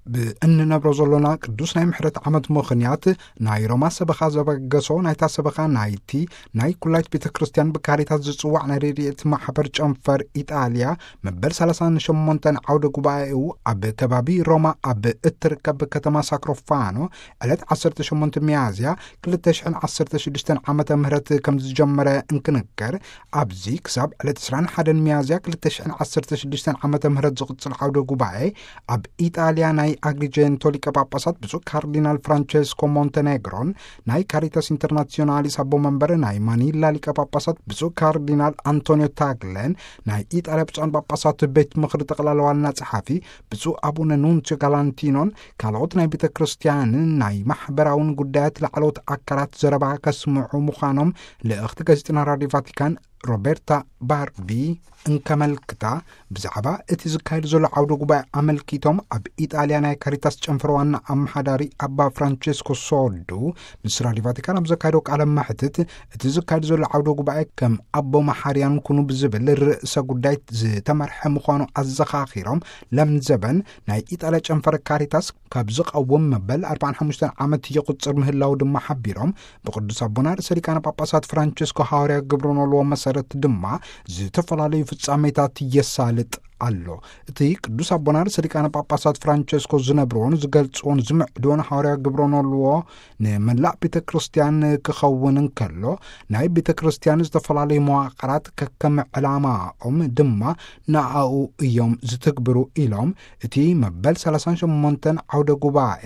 ብእንነብሮ ዘሎና ቅዱስ ናይ ምሕረት ዓመት ምኽንያት፣ ናይ ሮማ ሰበኻ ዘበገሶ ናይታ ሰበኻ ናይቲ ናይ ኩላይት ቤተ ክርስቲያን ብካሪታት ዝጽዋዕ ናይ ረድኤት ማሕበር ጨንፈር ኢጣልያ መበል ሰላሳን ሸሞንተን ዓውደ ጉባኤኡ ኣብ ከባቢ ሮማ ኣብ እትርከብ ከተማ ሳክሮፋኖ ዕለት ዓሰርተ ሸሞንተ ሚያዝያ ክልተ ሽሕን ዓሰርተ ሽዱሽተን ዓመተ ምህረት ከም ዝጀመረ እንክንገር፣ ኣብዚ ክሳብ ዕለት ዕስራን ሓደን ሚያዝያ ክልተ ሽሕን ዓሰርተ ሽዱሽተን ዓመተ ምህረት ዝቕጽል ዓውደ ጉባኤ ኣብ ኢጣልያ ናይ ኣግሪጀንቶ ሊቀ ጳጳሳት ብፁዕ ካርዲናል ፍራንቸስኮ ሞንተኔግሮን ናይ ካሪታስ ኢንተርናሲዮናሊስ ኣቦ መንበር ናይ ማኒላ ሊቀ ጳጳሳት ብፁዕ ካርዲናል ኣንቶኒዮ ታግለን ናይ ኢጣልያ ብፁዓን ጳጳሳት ቤት ምኽሪ ጠቕላላ ዋና ጸሓፊ ብፁዕ ኣቡነ ኑንሲዮ ጋላንቲኖን ካልኦት ናይ ቤተ ክርስቲያንን ናይ ማሕበራውን ጉዳያት ላዕለዎት ኣካላት ዘረባ ከስምዑ ምዃኖም ልእኽቲ ጋዜጠና ራድዮ ቫቲካን ሮቤርታ ባርቢ እንከመልክታ፣ ብዛዕባ እቲ ዝካየድ ዘሎ ዓውደ ጉባኤ ኣመልኪቶም ኣብ ኢጣልያ ናይ ካሪታስ ጨንፈር ዋና ኣመሓዳሪ ኣባ ፍራንቸስኮ ሶዱ ምስ ራድዮ ቫቲካን ኣብ ዘካየዶ ቃለ መሕትት፣ እቲ ዝካየድ ዘሎ ዓውደ ጉባኤ ከም ኣቦ መሓርያን ኩኑ ብዝብል ርእሰ ጉዳይ ዝተመርሐ ምዃኑ ኣዘኻኺሮም፣ ለምዘበን ናይ ኢጣልያ ጨንፈር ካሪታስ ካብ ዝቐውም መበል ኣርባዓን ሓሙሽተን ዓመት ይቑጽር ምህላው ድማ ሓቢሮም፣ ብቅዱስ ኣቦና ርእሰ ሊቃነ ጳጳሳት ፍራንቸስኮ ሃዋርያ ግብረ ኖልዎ መሰረት ድማ ዝተፈላለዩ ፍጻሜታት የሳልጥ ኣሎ። እቲ ቅዱስ ኣቦና ርእሰ ሊቃነ ጳጳሳት ፍራንቸስኮ ዝነብርዎን ዝገልጽዎን ዝምዕድዎን ሃዋርያ ግብረ ኖልዎ ንመላእ ቤተ ክርስቲያን ክኸውን እንከሎ፣ ናይ ቤተ ክርስቲያን ዝተፈላለዩ መዋቕራት ከከም ዕላማኦም ድማ ንኣኡ እዮም ዝትግብሩ ኢሎም፣ እቲ መበል ሰላሳን ሸሞንተን ዓውደ ጉባኤ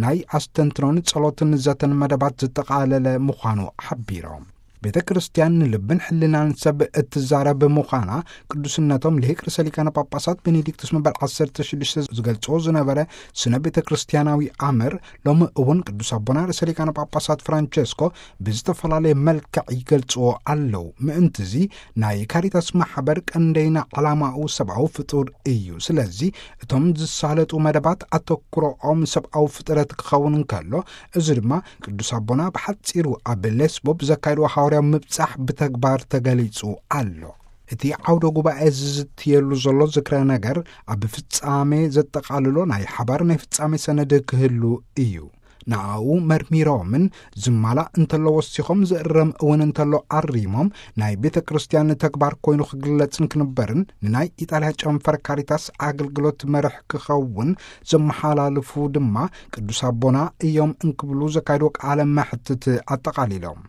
ናይ ኣስተንትኖን ጸሎትን ዘተን መደባት ዘጠቓለለ ምዃኑ ሓቢሮም። ቤተ ክርስቲያን ንልብን ሕልናን ሰብ እትዛረብ ምዃና ቅዱስነቶም ልሂቅ ርእሰ ሊቃነ ጳጳሳት ቤኔዲክቱስ መበል ዓሰርተ ሽዱሽተ ዝገልጽዎ ዝነበረ ስነ ቤተ ክርስቲያናዊ ኣምር ሎሚ እውን ቅዱስ ኣቦና ርእሰ ሊቃነ ጳጳሳት ፍራንቸስኮ ብዝተፈላለየ መልክዕ ይገልጽዎ ኣለዉ። ምእንትዚ ናይ ካሪታስ ማሕበር ቀንደይና ዓላማኡ ሰብኣዊ ፍጡር እዩ። ስለዚ እቶም ዝሳለጡ መደባት ኣተኩሮኦም ሰብኣዊ ፍጥረት ክኸውን እንከሎ፣ እዚ ድማ ቅዱስ ኣቦና ብሓጺሩ ኣብ ሌስቦ ብዘካየድዎ ሃዋርያዊ ምብጻሕ ብተግባር ተገሊጹ ኣሎ። እቲ ዓውደ ጉባኤ ዝዝትየሉ ዘሎ ዝክረ ነገር ኣብ ፍጻሜ ዘጠቓልሎ ናይ ሓባር ናይ ፍጻሜ ሰነድ ክህሉ እዩ። ንኣኡ መርሚሮምን ዝማላእ እንተሎ ወሲኾም ዝእረም እውን እንተሎ ኣሪሞም ናይ ቤተ ክርስቲያን ተግባር ኮይኑ ክግለጽን ክንበርን ንናይ ኢጣልያ ጨንፈር ካሪታስ ኣገልግሎት መርሕ ክኸውን ዘመሓላልፉ ድማ ቅዱስ ኣቦና እዮም እንክብሉ ዘካየድዎ ቃለ መሕትት ኣጠቓሊሎም።